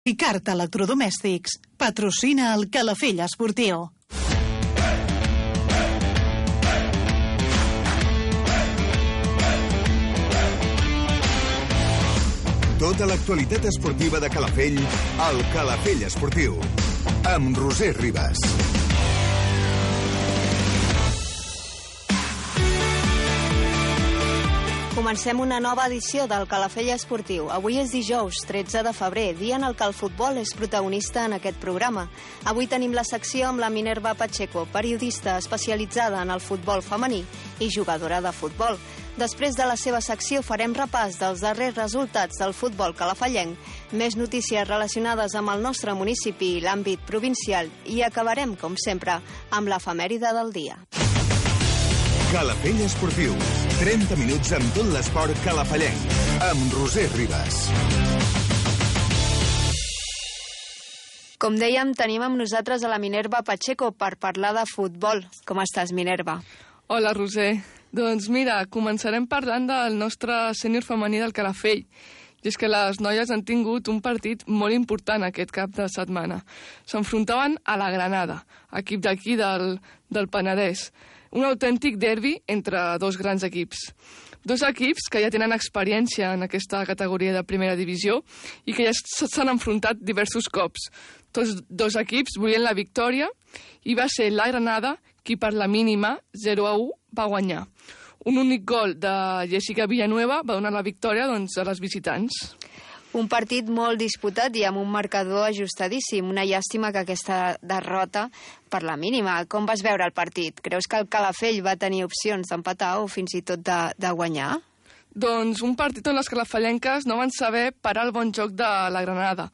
Ricard Electrodomèstics patrocina el Calafell Esportiu. Tota l'actualitat esportiva de Calafell al Calafell Esportiu amb Roser Ribas. Comencem una nova edició del Calafell Esportiu. Avui és dijous, 13 de febrer, dia en el que el futbol és protagonista en aquest programa. Avui tenim la secció amb la Minerva Pacheco, periodista especialitzada en el futbol femení i jugadora de futbol. Després de la seva secció farem repàs dels darrers resultats del futbol calafellenc, més notícies relacionades amb el nostre municipi i l'àmbit provincial i acabarem, com sempre, amb l'efemèride del dia. Calafell Esportiu, 30 minuts amb tot l'esport calafellenc, amb Roser Ribas. Com dèiem, tenim amb nosaltres a la Minerva Pacheco per parlar de futbol. Com estàs, Minerva? Hola, Roser. Doncs mira, començarem parlant del nostre sènior femení del Calafell. I és que les noies han tingut un partit molt important aquest cap de setmana. S'enfrontaven a la Granada, equip d'aquí del Penedès. Un autèntic derbi entre dos grans equips. Dos equips que ja tenen experiència en aquesta categoria de primera divisió i que ja s'han enfrontat diversos cops. Tots dos equips volien la victòria i va ser la Granada qui per la mínima 0-1 va guanyar. Un únic gol de Jessica Villanueva va donar la victòria a les visitants. Un partit molt disputat i amb un marcador ajustadíssim. Una llàstima que aquesta derrota per la mínima. Com vas veure el partit? Creus que el Calafell va tenir opcions d'empatar o fins i tot de guanyar? Doncs un partit on les calafellenques no van saber parar el bon joc de la Granada,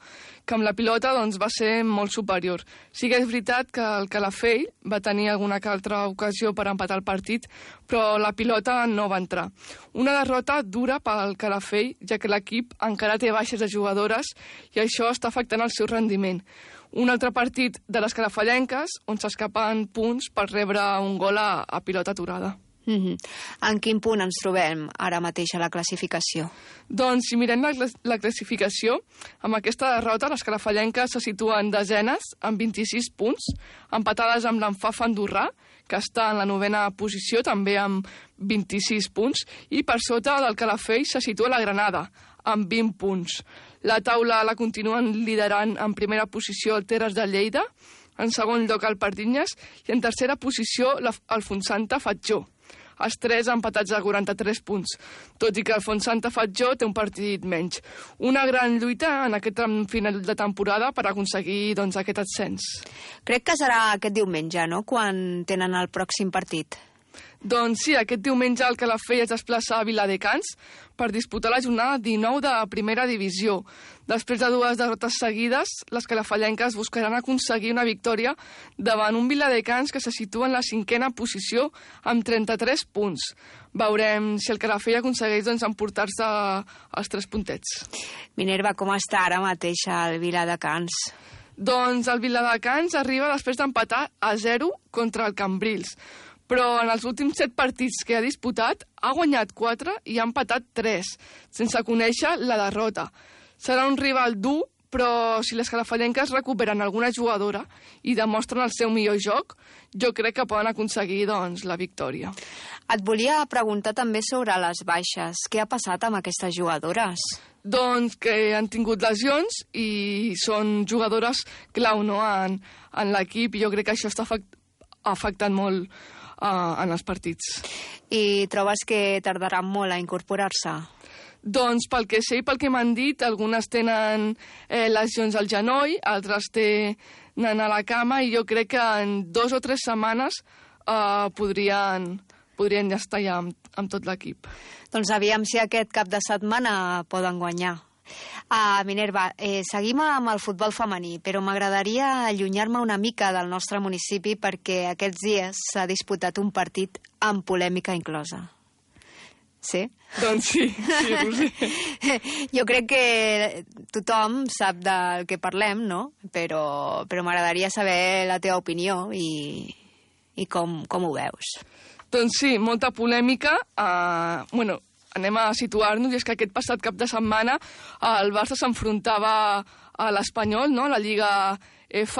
que amb la pilota va ser molt superior. Sí que és veritat que el Calafell va tenir alguna que altra ocasió per empatar el partit, però la pilota no va entrar. Una derrota dura pel Calafell, ja que l'equip encara té baixes de jugadores i això està afectant el seu rendiment. Un altre partit de les calafellenques on s'escapen punts per rebre un gol a pilota aturada. En quin punt ens trobem ara mateix a la classificació? Doncs si mirem la classificació, amb aquesta derrota les calafellenques se situen desenes amb 26 punts, empatades amb l'Enfaf andorrà, que està en la 9a posició, també amb 26 punts, i per sota del Calafell se situa la Granada, amb 20 punts. La taula la continuen liderant en primera posició el Terres de Lleida, en segon lloc el Pardinyes i en tercera posició el Fontsanta Fatjó. Els tres empatats a 43 punts, tot i que el Fontsanta Fatjó té un partit menys. Una gran lluita en aquest final de temporada per aconseguir aquest ascens. Crec que serà aquest diumenge, no?, quan tenen el pròxim partit. Doncs sí, aquest diumenge el Calafell es desplaça a Viladecans per disputar la jornada 19 de primera divisió. Després de 2 derrotes seguides, les calafellenques buscaran aconseguir una victòria davant un Viladecans que se situa en la 5a posició amb 33 punts. Veurem si el Calafell aconsegueix emportar-se els 3 puntets. Minerva, com està ara mateix el Viladecans? Doncs el Viladecans arriba després d'empatar a 0 contra el Cambrils. Però en els últims 7 partits que ha disputat ha guanyat 4 i ha empatat 3, sense conèixer la derrota. Serà un rival dur, però si les calafellenques recuperen alguna jugadora i demostren el seu millor joc, jo crec que poden aconseguir la victòria. Et volia preguntar també sobre les baixes. Què ha passat amb aquestes jugadores? Doncs que han tingut lesions i són jugadores clau, no?, en l'equip, i jo crec que això està afectant molt en els partits. I trobes que tardaran molt a incorporar-se? Doncs pel que sé i pel que m'han dit, algunes tenen lesions al genoll, altres tenen a la cama, i jo crec que en 2 o 3 setmanes podrien ja estar amb tot l'equip. Doncs aviam si aquest cap de setmana poden guanyar. Minerva, seguim amb el futbol femení, però m'agradaria allunyar-me una mica del nostre municipi perquè aquests dies s'ha disputat un partit amb polèmica inclosa. Sí? Doncs sí, Roser. Jo crec que tothom sap del que parlem, no? Però m'agradaria saber la teva opinió i com ho veus. Doncs sí, molta polèmica. Anem a situar-nos, i és que aquest passat cap de setmana el Barça s'enfrontava a l'Espanyol, no? La Lliga F,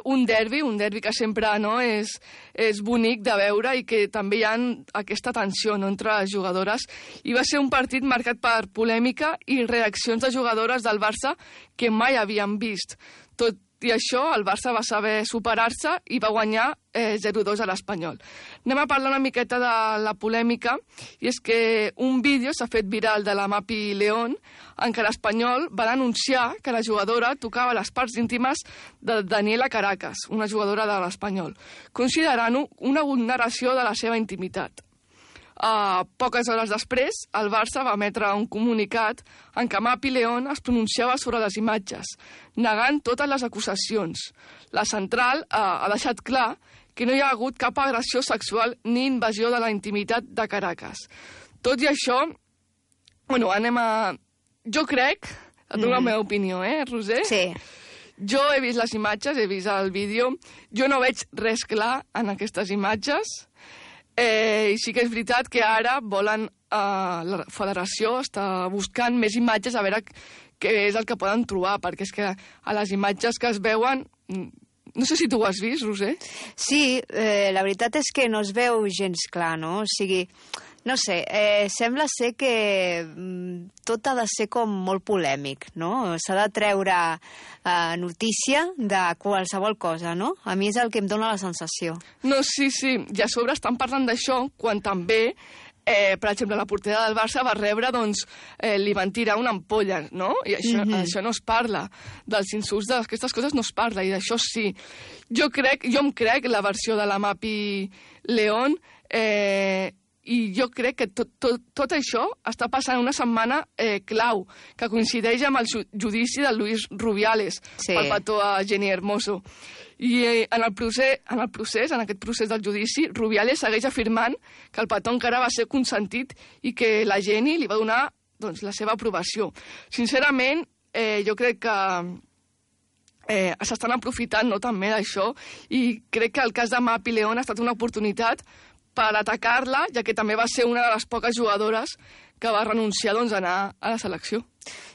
un derbi que sempre és bonic de veure i que també hi ha aquesta tensió entre les jugadores. I va ser un partit marcat per polèmica i reaccions de jugadores del Barça que mai havien vist. Tot i això, el Barça va saber superar-se i va guanyar 0-2 a l'Espanyol. Anem a parlar una miqueta de la polèmica, i és que un vídeo s'ha fet viral de la Mapi León en què l'Espanyol va denunciar que la jugadora tocava les parts íntimes de Daniela Caracas, una jugadora de l'Espanyol, considerant-ho una vulneració de la seva intimitat. Poques hores després, el Barça va emetre un comunicat en què Mapi León es pronunciava sobre les imatges, negant totes les acusacions. La central ha deixat clar que no hi ha hagut cap agressió sexual ni invasió de la intimitat de Caracas. Tot i això, jo crec, et dono la meva opinió, Roser? Sí. Jo he vist les imatges, he vist el vídeo, jo no veig res clar en aquestes imatges. I sí que és veritat que ara volen, la federació està buscant més imatges a veure què és el que poden trobar, perquè és que a les imatges que es veuen... No sé si tu ho has vist, Roser. Sí, la veritat és que no es veu gens clar, no? O sigui, no sé, sembla ser que tot ha de ser com molt polèmic, no? S'ha de treure notícia de qualsevol cosa, no? A mi és el que em dóna la sensació. No, sí, i a sobre estan parlant d'això quan també... per exemple, la portera del Barça va rebre, li van tirar una ampolla, no? I això no es parla. Dels insults, d'aquestes coses no es parla, i d'això sí. Jo em crec la versió de la Mapi León, i jo crec que tot això està passant una setmana clau, que coincideix amb el judici de Luis Rubiales, pel petó a Jenny Hermoso. I en aquest procés del judici, Rubiales segueix afirmant que el petó encara va ser consentit i que la Jenny li va donar la seva aprovació. Sincerament, jo crec que s'estan aprofitant també d'això, i crec que el cas de Mapi León ha estat una oportunitat per atacar-la, ja que també va ser una de les poques jugadores que va renunciar a anar a la selecció.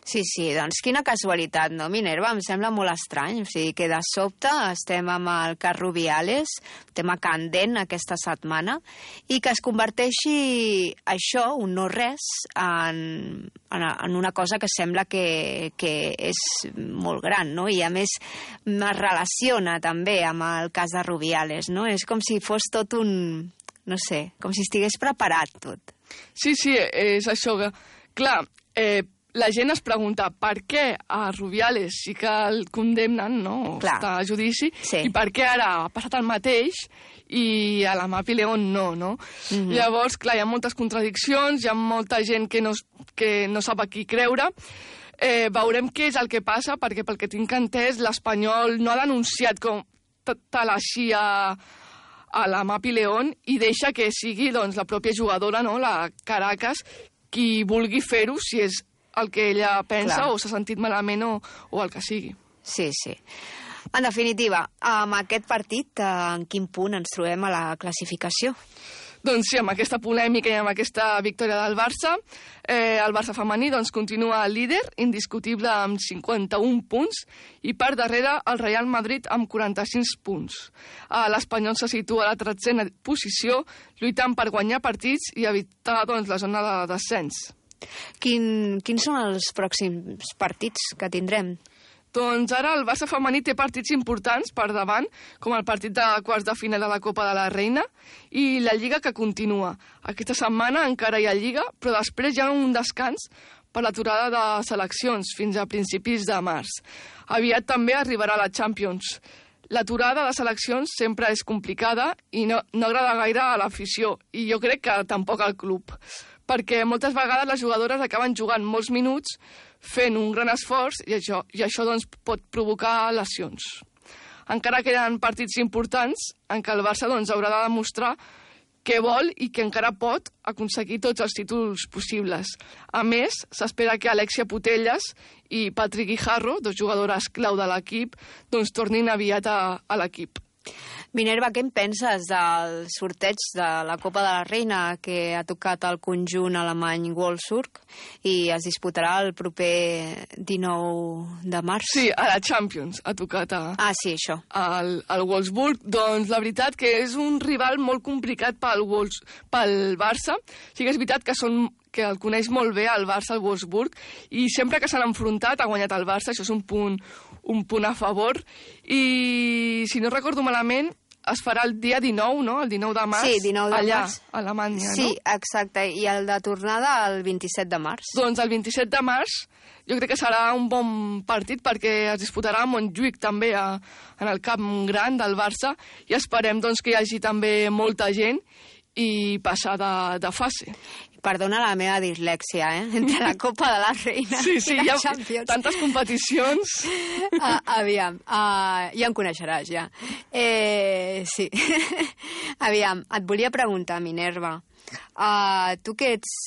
Sí, doncs quina casualitat, no, Minerva? Em sembla molt estrany, o sigui que de sobte estem amb el cas Rubiales, tema candent aquesta setmana, i que es converteixi això, un no res, en una cosa que sembla que és molt gran, no? I a més es relaciona també amb el cas de Rubiales, no? És com si fos tot un... no sé, com si estigués preparat tot. Sí, és això. Clar, la gent es pregunta per què a Rubiales sí que el condemnen, no? Està a judici, i per què ara ha passat el mateix i a la Mapi León no? Llavors, clar, hi ha moltes contradiccions, hi ha molta gent que no sap a qui creure. Veurem què és el que passa, perquè pel que tinc entès, l'Espanyol no ha denunciat com tal així a la Mapi León i deixa que sigui la pròpia jugadora, la Caracas, qui vulgui fer-ho, si és el que ella pensa o s'ha sentit malament o el que sigui. Sí. En definitiva, amb aquest partit, en quin punt ens trobem a la classificació? Doncs sí, amb aquesta polèmica i amb aquesta victòria del Barça, el Barça femení continua líder, indiscutible amb 51 punts, i per darrere el Real Madrid amb 45 punts. L'Espanyol se situa a la 13a posició, lluitant per guanyar partits i evitar la zona de descens. Quins són els pròxims partits que tindrem? Doncs ara el Barça femení té partits importants per davant, com el partit de quarts de final de la Copa de la Reina i la Lliga, que continua. Aquesta setmana encara hi ha Lliga, però després hi ha un descans per l'aturada de seleccions fins a principis de març. Aviat també arribarà la Champions. L'aturada de seleccions sempre és complicada i no agrada gaire a l'afició, i jo crec que tampoc al club, perquè moltes vegades les jugadores acaben jugant molts minuts fent un gran esforç i això pot provocar lesions. Encara queden partits importants en què el Barça haurà de demostrar què vol i que encara pot aconseguir tots els títols possibles. A més, s'espera que Alexia Putellas i Patrick Guijarro, dos jugadores clau de l'equip, tornin aviat a l'equip. Minerva, què en penses del sorteig de la Copa de la Reina que ha tocat el conjunt alemany Wolfsburg i es disputarà el proper 19 de març? Sí, a la Champions ha tocat sí, això. al Wolfsburg. Doncs la veritat que és un rival molt complicat pel Barça. Sí que és veritat que el coneix molt bé el Barça, el Wolfsburg, i sempre que s'han enfrontat ha guanyat el Barça, això és un punt a favor, i si no recordo malament es farà el dia 19, no? El 19 de març. Sí, 19 de allà, març. a Alemanya, sí, no? Sí, exacte, i el de tornada el 27 de març. Doncs el 27 de març jo crec que serà un bon partit perquè es disputarà a Montjuïc també en el camp gran del Barça i esperem doncs, que hi hagi també molta gent i passar de fase. Perdona la meva dislèxia, entre la Copa de la Reina sí, i la hi ha Champions. Tantes competicions. Aviam, ja em coneixeràs, ja. Sí. Aviam, et volia preguntar, Minerva, tu que ets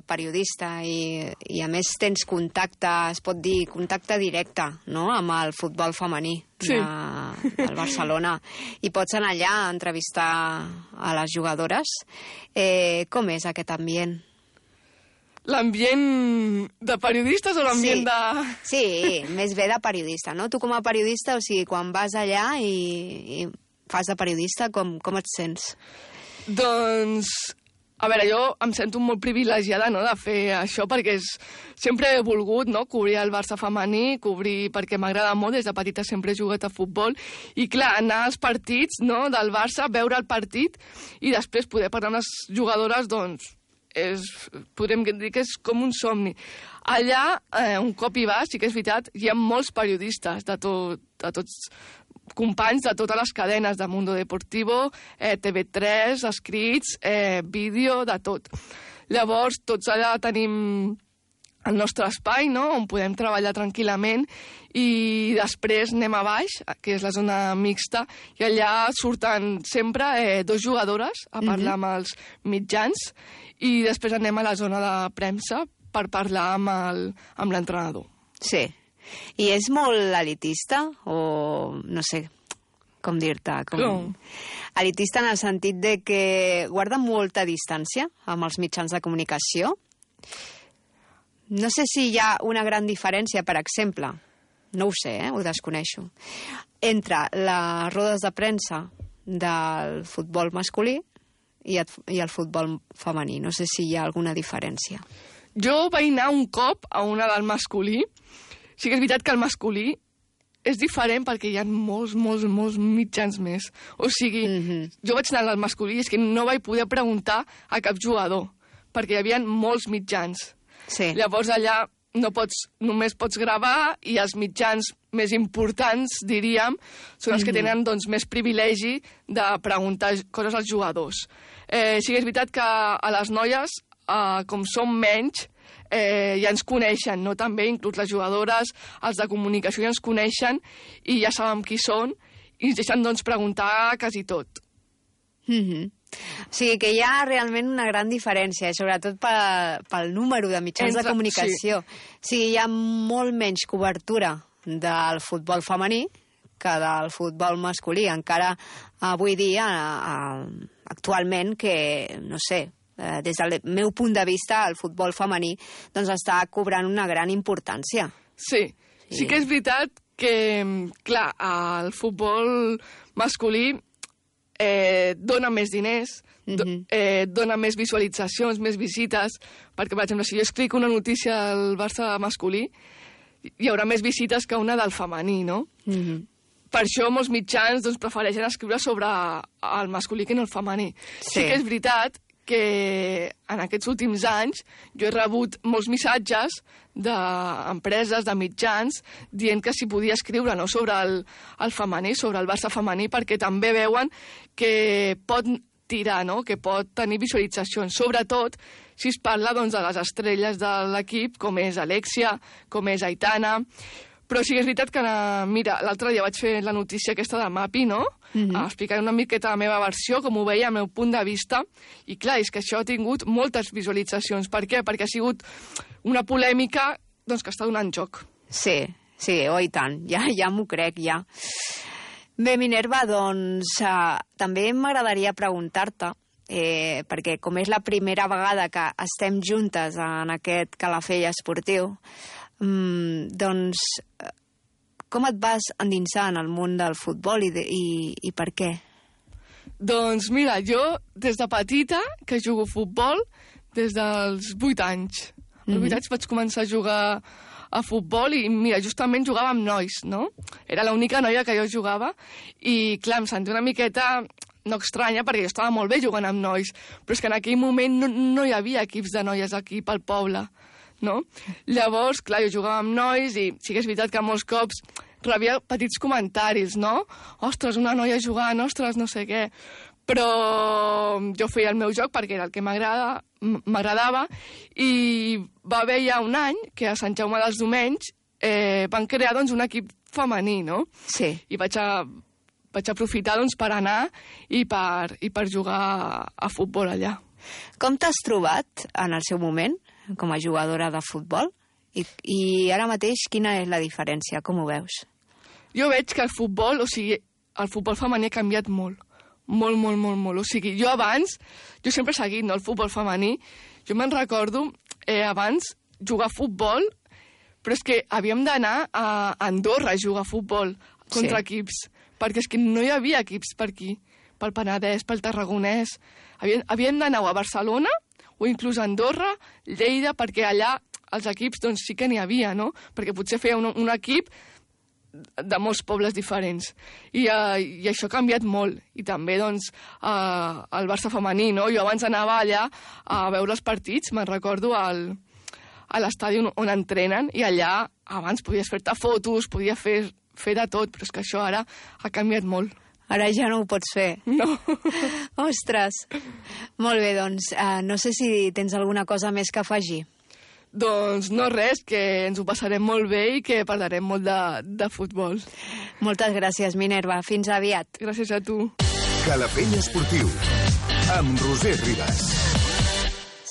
periodista i a més tens contacte, es pot dir, contacte directe, no?, amb el futbol femení del Barcelona, i pots anar allà a entrevistar a les jugadores. Com és aquest ambient? L'ambient de periodistes o l'ambient de... Sí, més bé de periodista, no? Tu com a periodista, o sigui, quan vas allà i fas de periodista, com et sents? Doncs, a veure, jo em sento molt privilegiada, no?, de fer això, perquè sempre he volgut, no?, cobrir el Barça femení, perquè m'agrada molt, des de petita sempre he jugat a futbol, i clar, anar als partits, no?, del Barça, veure el partit, i després poder parlar amb les jugadores, doncs, podríem dir que és com un somni. Allà, un cop hi vas, sí que és veritat, hi ha molts periodistes de tots companys de totes les cadenes de Mundo Deportivo, TV3, escrits, vídeo, de tot. Llavors, tots allà tenim el nostre espai, no?, on podem treballar tranquil·lament, i després anem a baix, que és la zona mixta, i allà surten sempre 2 jugadores a parlar amb els mitjans, i després anem a la zona de premsa per parlar amb l'entrenador. Sí. I és molt elitista o no sé com dir-te? Elitista en el sentit de que guarda molta distància amb els mitjans de comunicació? No sé si hi ha una gran diferència, per exemple, no ho sé, ho desconeixo, entre les rodes de premsa del futbol masculí i el futbol femení. No sé si hi ha alguna diferència. Jo vaig anar un cop a una del masculí. Sí que és veritat que el masculí és diferent perquè hi ha molts mitjans més. O sigui, jo vaig anar al masculí i és que no vaig poder preguntar a cap jugador, perquè hi havia molts mitjans. Sí. Llavors allà només pots gravar i els mitjans més importants, diríem, són els que tenen doncs, més privilegi de preguntar coses als jugadors. Sí que és veritat que a les noies, com som menys, ja ens coneixen, no? També, inclús les jugadores, els de comunicació ja ens coneixen i ja sabem qui són i ens deixen doncs, preguntar quasi tot. O sigui que hi ha realment una gran diferència, sobretot pel número de mitjans de comunicació. Sí. O sigui, hi ha molt menys cobertura del futbol femení que del futbol masculí. Encara avui dia, actualment, que, no sé, des del meu punt de vista, el futbol femení doncs està cobrant una gran importància. Sí que és veritat que, clar, el futbol masculí dona més diners, dona més visualitzacions, més visites, perquè, per exemple, si jo explico una notícia del Barça masculí, hi haurà més visites que una del femení, no? Per això molts mitjans doncs, prefereixen escriure sobre el masculí que no el femení. Sí que és veritat que en aquests últims anys jo he rebut molts missatges d'empreses, de mitjans, dient que s'hi podia escriure no, sobre el femení, sobre el Barça femení, perquè també veuen que pot tirar, no? Que pot tenir visualitzacions, sobretot si es parla doncs, de les estrelles de l'equip, com és Alexia, com és Aitana. Però sí que és veritat que, mira, l'altre dia vaig fer la notícia aquesta de Mapi, no? Explicar una miqueta la meva versió, com ho veia, al meu punt de vista. I clar, és que això ha tingut moltes visualitzacions. Per què? Perquè ha sigut una polèmica doncs, que està donant joc. Sí, oh, i tant. Ja m'ho crec, ja. Bé, Minerva, doncs també m'agradaria preguntar-te, perquè com és la primera vegada que estem juntes en aquest Calafell esportiu, doncs com et vas endinsar en el món del futbol i per què? Doncs mira, jo des de petita que jugo a futbol des dels 8 anys. Als 8 anys vaig començar a jugar a futbol i mira, justament jugava amb nois, no? Era l'única noia que jo jugava i clar, em sentia una miqueta no estranya perquè jo estava molt bé jugant amb nois, però és que en aquell moment no hi havia equips de noies aquí pel poble, no? Llavors, clar, jo jugava amb nois i sí que és veritat que molts cops rebia petits comentaris, no? Ostres, una noia jugant, ostres, no sé què. Però jo feia el meu joc perquè era el que m'agradava i va haver ja un any que a Sant Jaume dels Domenys van crear doncs, un equip femení, no? Sí. I vaig aprofitar doncs, per anar i per jugar a futbol allà. Com t'has trobat en el seu moment com a jugadora de futbol? I ara mateix quina és la diferència? Com ho veus? Jo veig que el futbol femení ha canviat molt. Molt. O sigui, jo abans, jo sempre he seguit, no, el futbol femení. Jo me'n recordo, abans, jugar a futbol, però és que havíem d'anar a Andorra a jugar a futbol contra equips, perquè és que no hi havia equips per aquí, pel Penedès, pel Tarragonès. Havíem d'anar a Barcelona o inclús a Andorra, Lleida, perquè allà els equips doncs, sí que n'hi havia, no? Perquè potser feia un equip de molts pobles diferents. I això ha canviat molt. I també, doncs, el Barça femení, no? Jo abans anava allà a veure els partits, me'n recordo, a l'estadi on entrenen, i allà abans podies fer-te fotos, podies fer de tot, però és que això ara ha canviat molt. Ara ja no ho pots fer. No. Ostres. Molt bé, doncs, no sé si tens alguna cosa més que afegir. Doncs no res, que ens ho passarem molt bé i que parlarem molt de futbol. Moltes gràcies, Minerva. Fins aviat. Gràcies a tu. Calafell Esportiu, amb Roser Ribas.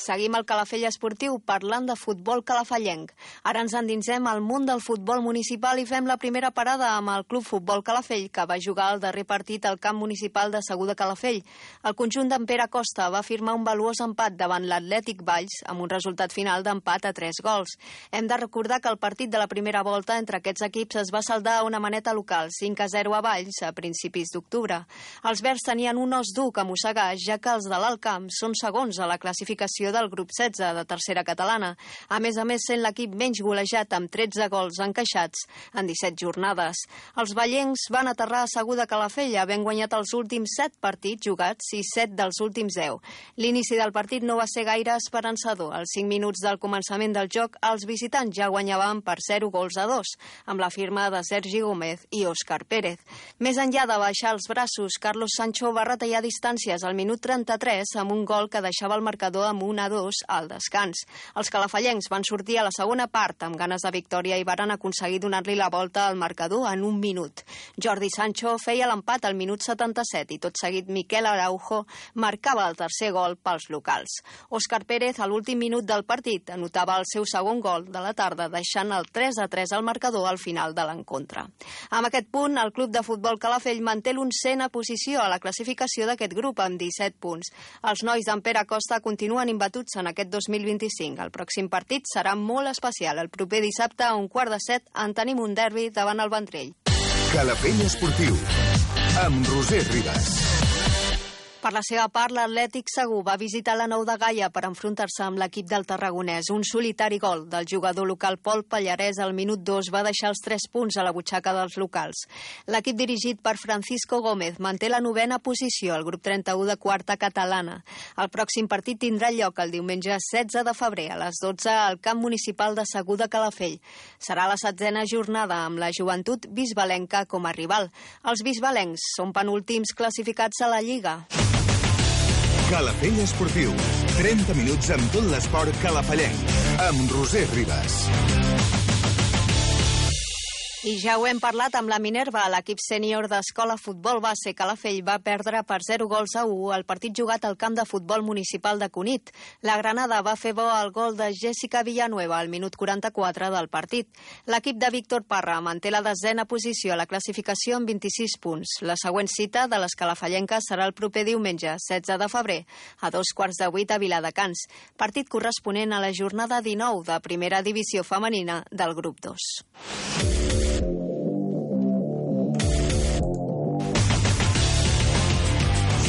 Seguim el Calafell Esportiu parlant de futbol calafellenc. Ara ens endinsem al món del futbol municipal i fem la primera parada amb el Club Futbol Calafell, que va jugar el darrer partit al camp municipal de Segur de Calafell. El conjunt d'en Pere Costa va firmar un valuós empat davant l'Atlètic Valls amb un resultat final d'empat a 3 gols. Hem de recordar que el partit de la primera volta entre aquests equips es va saldar a una maneta local, 5-0 a Valls, a principis d'octubre. Els verds tenien un os dur que mossegar, ja que els de l'Alt Camp són segons a la classificació del grup 16 de tercera catalana. A més, sent l'equip menys golejat amb 13 gols encaixats en 17 jornades. Els vallencs van aterrar a Segur de Calafell, havent guanyat els últims 7 partits jugats i 7 dels últims 10. L'inici del partit no va ser gaire esperançador. Als 5 minuts del començament del joc, els visitants ja guanyaven per 0-2, amb la firma de Sergi Gómez i Òscar Pérez. Més enllà de baixar els braços, Carlos Sancho va retallar distàncies al minut 33 amb un gol que deixava el marcador amb 1-2 al descans. Els calafellencs van sortir a la segona part amb ganes de victòria i varen aconseguir donar-li la volta al marcador en 1 minut. Jordi Sancho feia l'empat al minut 77 i tot seguit Miquel Araujo marcava el tercer gol pels locals. Òscar Pérez, a l'últim minut del partit, anotava el seu segon gol de la tarda, deixant el 3-3 al marcador al final de l'encontre. Amb aquest punt, el Club de Futbol Calafell manté l'11a posició a la classificació d'aquest grup amb 17 punts. Els nois d'en Pere Costa continuen imbatuts en aquest 2025. El pròxim partit serà molt especial. El proper dissabte a 6:45 en tenim un derbi davant el Vendrell. Calafell Esportiu, amb Roser Ribas. Per la seva part, l'Atlètic Segur va visitar la Nou de Gaia per enfrontar-se amb l'equip del Tarragonès. Un solitari gol del jugador local Pol Pallarès al minut 2 va deixar els 3 punts a la butxaca dels locals. L'equip dirigit per Francisco Gómez manté la 9a posició al grup 31 de quarta catalana. El pròxim partit tindrà lloc el diumenge 16 de febrer a les 12 al camp municipal de Segur de Calafell. Serà la 7a jornada amb la joventut bisbalenca com a rival. Els bisbalencs són penúltims classificats a la Lliga. Calafell Esportiu, 30 minuts amb tot l'esport calafallenc, amb Roser Ribas. I ja ho hem parlat amb la Minerva, l'equip sènior d'Escola Futbol Base Calafell va perdre per 0-1 el partit jugat al camp de futbol municipal de Cunit. La Granada va fer bo el gol de Jessica Villanueva al minut 44 del partit. L'equip de Víctor Parra manté la 10a posició a la classificació amb 26 punts. La següent cita de les calafallenques serà el proper diumenge, 16 de febrer, a 7:15 a Viladecans, partit corresponent a la jornada 19 de primera divisió femenina del grup 2.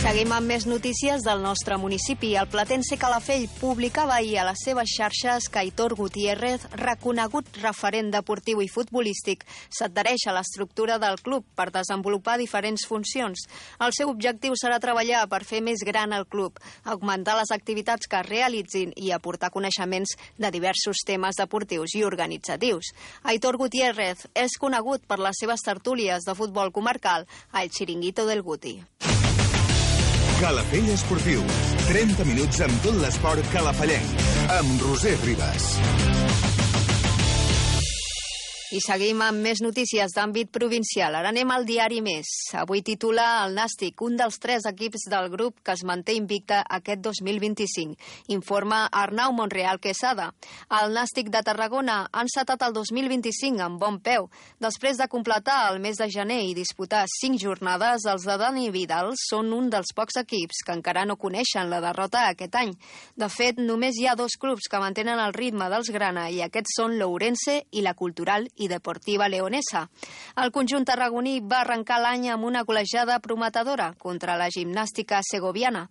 Seguim amb més notícies del nostre municipi. El Platense Calafell publicava ahir a les seves xarxes que Aitor Gutiérrez, reconegut referent deportiu i futbolístic, s'adhereix a l'estructura del club per desenvolupar diferents funcions. El seu objectiu serà treballar per fer més gran el club, augmentar les activitats que es realitzin i aportar coneixements de diversos temes deportius i organitzatius. Aitor Gutiérrez és conegut per les seves tertúlies de futbol comarcal a El Chiringuito del Guti. Calafell Esportiu. 30 minuts amb tot l'esport calafallenc. Amb Roser Ribas. I seguim amb més notícies d'àmbit provincial. Ara anem al diari Més. Avui titula el Nàstic, un dels 3 equips del grup que es manté invicte aquest 2025. Informa Arnau Monreal Quesada. El Nàstic de Tarragona ha encetat el 2025 amb bon peu. Després de completar el mes de gener i disputar 5 jornades, els de Dani Vidal són un dels pocs equips que encara no coneixen la derrota aquest any. De fet, només hi ha 2 clubs que mantenen el ritme dels grana i aquests són l'Ourense i la Cultural i Deportiva Leonesa. El conjunt tarragoní va arrencar l'any amb una golejada prometedora contra la gimnàstica segoviana.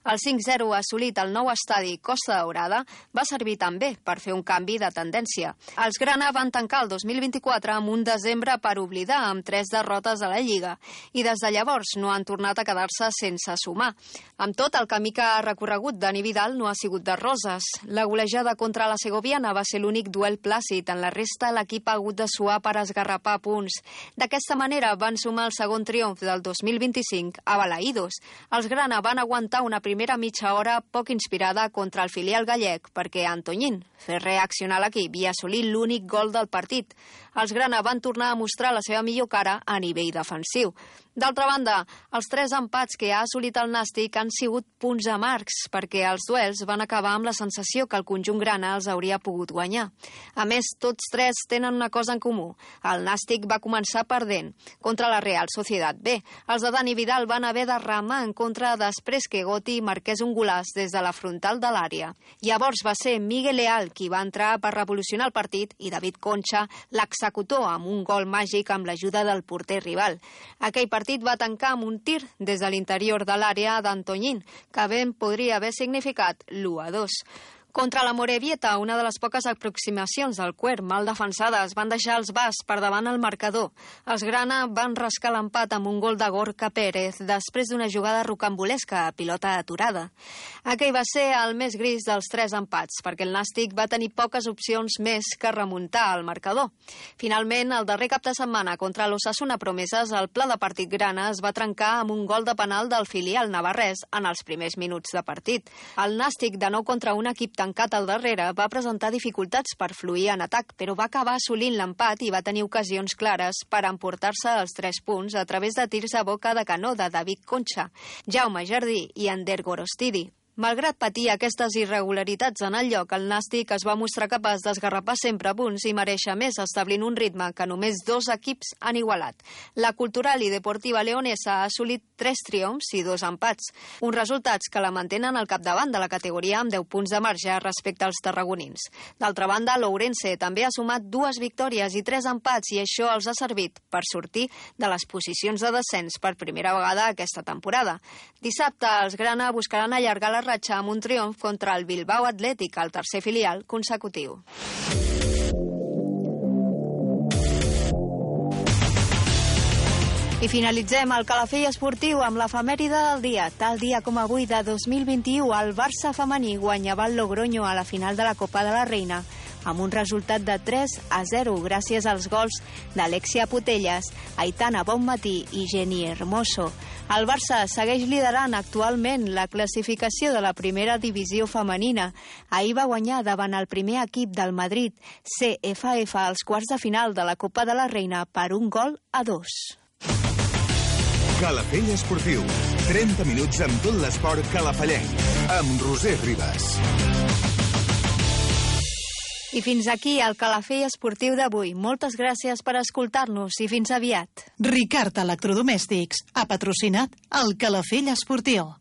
El 5-0 assolit al nou estadi Costa Daurada va servir també per fer un canvi de tendència. Els grana van tancar el 2024 amb un desembre per oblidar, amb 3 derrotes a la Lliga, i des de llavors no han tornat a quedar-se sense sumar. Amb tot, el camí que ha recorregut Dani Vidal no ha sigut de roses. La golejada contra la segoviana va ser l'únic duel plàcid. En la resta, l'equip ha hagut de suar per esgarrapar punts. D'aquesta manera van sumar el segon triomf del 2025 a Balaïdos. Els grana van aguantar una primera mitja hora poc inspirada contra el filial gallec perquè Antoñín fes reaccionar l'equip i assolir l'únic gol del partit. Els grana van tornar a mostrar la seva millor cara a nivell defensiu. D'altra banda, els 3 empats que ha assolit el Nàstic han sigut punts amargs perquè els duels van acabar amb la sensació que el conjunt grana els hauria pogut guanyar. A més, tots 3 tenen una cosa en comú. El Nàstic va començar perdent contra la Real Sociedad B. Els de Dani Vidal van haver de remar en contra després que Goti marqués un golaç des de la frontal de l'àrea. Llavors va ser Miguel Leal qui va entrar per revolucionar el partit i David Concha l'executor amb un gol màgic amb l'ajuda del porter rival. Aquell partit va tancar amb un tir des de l'interior de l'àrea d'Antoñín, que ben podria haver significat l'1-2. Contra la Morevieta, una de les poques aproximacions del Quer mal defensades van deixar els bas per davant el marcador. Els grana van rascar l'empat amb un gol de Gorka Pérez després d'una jugada rocambolesca a pilota aturada. Aquell va ser el més gris dels 3 empats, perquè el Nàstic va tenir poques opcions més que remuntar el marcador. Finalment, el darrer cap de setmana contra l'Osasuna Promeses, el pla de partit grana es va trencar amb un gol de penal del filial navarrès en els primers minuts de partit. El Nàstic, de nou contra un equip tancat al darrere, va presentar dificultats per fluir en atac, però va acabar assolint l'empat i va tenir ocasions clares per emportar-se els 3 punts a través de tirs a boca de canó de David Concha, Jaume Jardí i Ander Gorostidi. Malgrat patir aquestes irregularitats en el lloc, el Nàstic es va mostrar capaç d'esgarrapar sempre punts i mereixer més, establint un ritme que només 2 equips han igualat. La Cultural i Deportiva Leonesa ha assolit 3 triomfs i 2 empats, uns resultats que la mantenen al capdavant de la categoria amb 10 punts de marge respecte als tarragonins. D'altra banda, l'Ourense també ha sumat 2 victòries i 3 empats i això els ha servit per sortir de les posicions de descens per primera vegada aquesta temporada. Dissabte, els grana buscaran allargar la ratxa amb un triomf contra el Bilbao Atlètic, el tercer filial consecutiu. I finalitzem el Calafell Esportiu amb l'efemèride del dia. Tal dia com avui de 2021, el Barça femení guanyava el Logroño a la final de la Copa de la Reina. amb un resultat de 3-0 gràcies als gols d'Alexia Putellas, Aitana Bonmatí i Jenny Hermoso. El Barça segueix liderant actualment la classificació de la primera divisió femenina. Ahir va guanyar davant el primer equip del Madrid, CFF, als quarts de final de la Copa de la Reina per 1-2. Calafell Esportiu. 30 minuts amb tot l'esport calafallenc. Amb Roser Ribas. I fins aquí el Calafell Esportiu d'avui. Moltes gràcies per escoltar-nos i fins aviat. Ricard Electrodomèstics ha patrocinat el Calafell Esportiu.